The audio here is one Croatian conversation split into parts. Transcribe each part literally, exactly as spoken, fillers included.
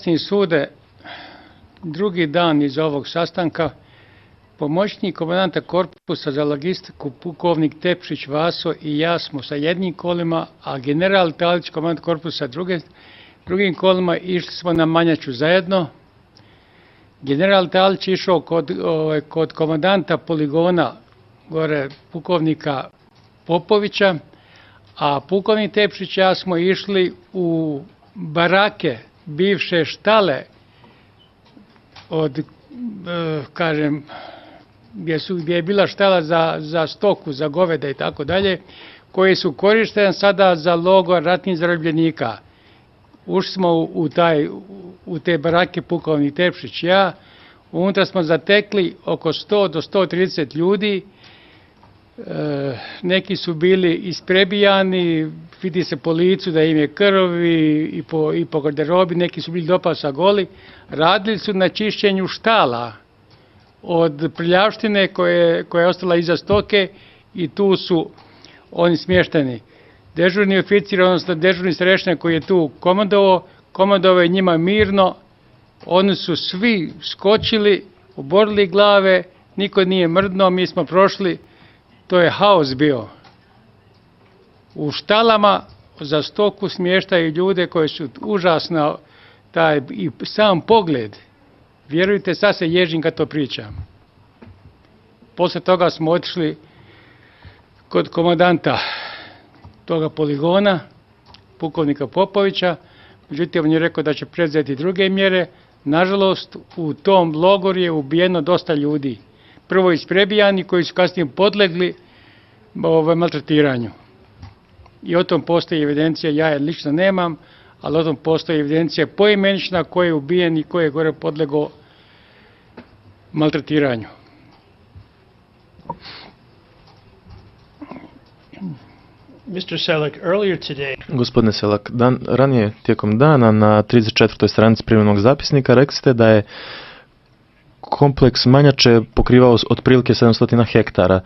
Časni sude, drugi dan iz ovog sastanka, pomoćnik komandanta korpusa za logistiku pukovnik Tepšić Vaso i ja smo sa jednim kolima, a general Talić, komandant korpusa druge, drugim kolima, išli smo na Manjaču zajedno. General Talić išao kod, o, kod komandanta poligona gore pukovnika Popovića, a pukovnik Tepšić i ja smo išli u barake, bivše štale od, e, kažem, gdje, su, gdje je bila štala za, za stoku, za goveda i tako dalje, koje su korištene sada za logor ratnih zarobljenika. Ušli smo u, u, taj, u te barake pukovnik Tepšić i ja, unutra smo zatekli oko sto do sto trideset ljudi. E, neki su bili isprebijani, vidi se po licu da im je krv i, i, po, i po garderobi, neki su bili do pasa goli. Radili su na čišćenju štala od prljavštine koje, koja je ostala iza stoke i tu su oni smješteni. Dežurni oficir, odnosno dežurni starešina koji je tu komandovao, komandovao je njima mirno, oni su svi skočili, oborili glave, niko nije mrdnuo, mi smo prošli. To je haos bio. U štalama za stoku smještaju ljude koji su užasno, taj i sam pogled, vjerujte, sad se ježim kad to pričam. Poslije toga smo otišli kod komandanta toga poligona, pukovnika Popovića, međutim on je rekao da će preuzeti druge mjere. Nažalost, u tom logoru je ubijeno dosta ljudi. Prvo isprebijani koji su kasnije podlegli ovaj, maltretiranju. I o tom postoji evidencija, ja je lično nemam, ali o tom postoji evidencija poimenična ko je ubijen i ko je gore podlegao maltretiranju. mister Selak, earlier today... Gospodine Selak, dan, ranije tijekom dana na trideset četvrtoj stranici privremenog zapisnika rekli ste da je kompleks Manjače pokrivao otprilike sedamsto hektara.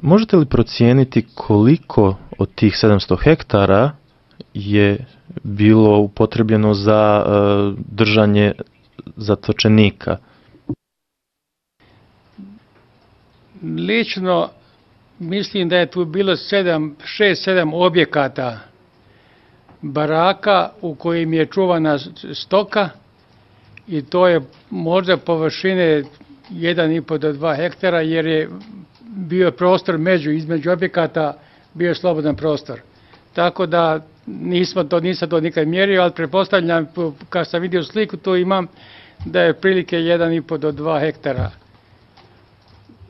Možete li procijeniti koliko od tih sedamsto hektara je bilo upotrebljeno za uh, držanje zatočenika? Lično mislim da je tu bilo sedam, šest, sedam objekata baraka u kojim je čuvana stoka i to je možda površine jedan i pol do dva hektara jer je bio prostor među, između objekata bio je slobodan prostor. Tako da nismo to, nisam to nikad mjerio, ali pretpostavljam, kad sam vidio sliku, tu imam da je prilike jedan i pol do dva hektara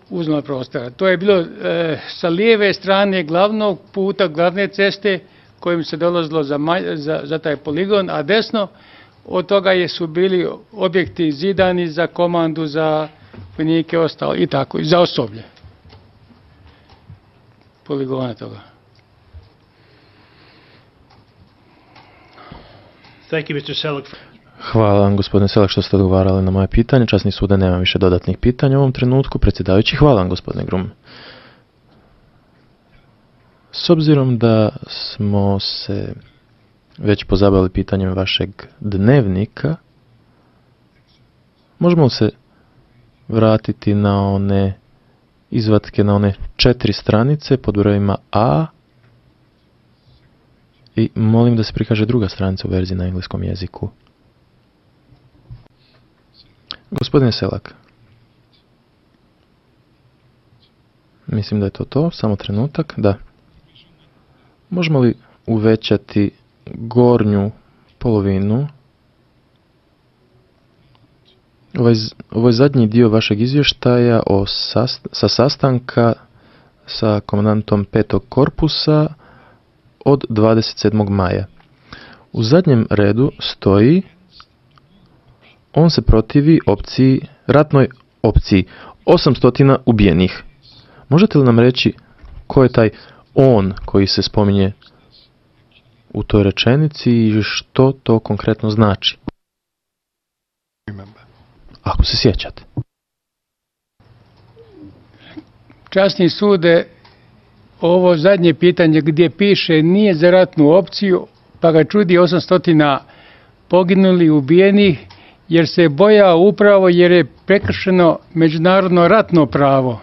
uzmano prostora. To je bilo e, sa lijeve strane glavnog puta, glavne ceste kojim se dolazilo za, za, za taj poligon, a desno od toga je su bili objekti zidani za komandu, za vojnike, ostalo i tako, i za osoblje poligona toga. Thank you, mister Selak. Hvala vam, gospodine Selak, što ste odgovarali na moje pitanje. Časni sude, nema više dodatnih pitanja u ovom trenutku. Predsjedavajući, hvala vam, gospodine Grum. S obzirom da smo se već pozabavili pitanjem vašeg dnevnika, možemo li se vratiti na one izvatke, na one četiri stranice pod brojima A i molim da se prikaže druga stranica u verziji na engleskom jeziku. Gospodine Selak, mislim da je to to, samo trenutak, da. Možemo li uvećati gornju polovinu? Ovaj, ovaj zadnji dio vašeg izvještaja o sast, sa sastanka sa komandantom petog korpusa od dvadeset sedmog maja. U zadnjem redu stoji: on se protivi opciji, ratnoj opciji, osamsto ubijenih. Možete li nam reći ko je taj on koji se spominje u toj rečenici i što to konkretno znači? Ako se sjećate. Časni sude, ovo zadnje pitanje gdje piše nije za ratnu opciju, pa ga čudi osamsto poginuli, ubijeni, jer se je bojao upravo jer je prekršeno međunarodno ratno pravo.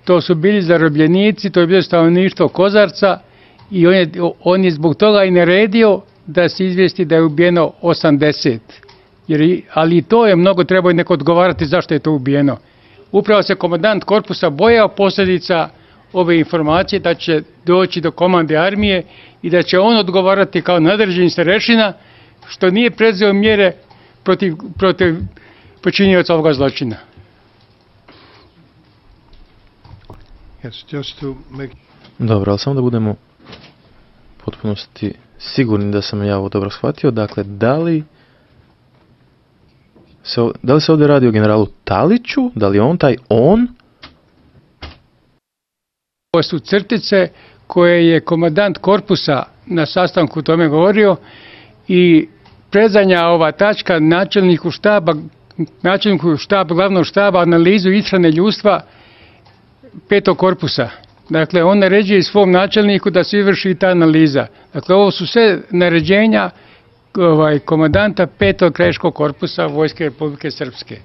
To su bili zarobljenici, to je bilo stanovništvo Kozarca i on je, on je zbog toga i naredio da se izvijesti da je ubijeno osamdeset. Jer, ali i to je mnogo, treba i neko odgovarati zašto je to ubijeno. Upravo se komandant korpusa bojao posljedica ove informacije da će doći do komande armije i da će on odgovarati kao nadređeni starešina što nije predzeo mjere protiv, protiv počinioca ovoga zločina. Yes, just to make... Dobro, ali samo da budemo u potpunosti sigurni da sam ja ovo dobro shvatio. Dakle, da li se, da li se ovdje radi o generalu Taliću? Da li je on taj on? Ovo su crtice koje je komandant korpusa na sastanku o tome govorio i predzanja ova tačka načelniku štaba, načelniku štaba, glavnog štaba analizu ishrane ljudstva petog korpusa. Dakle, on naređuje svom načelniku da se izvrši ta analiza. Dakle, ovo su sve naređenja ovaj, komandanta petog krajiškog korpusa Vojske Republike Srpske.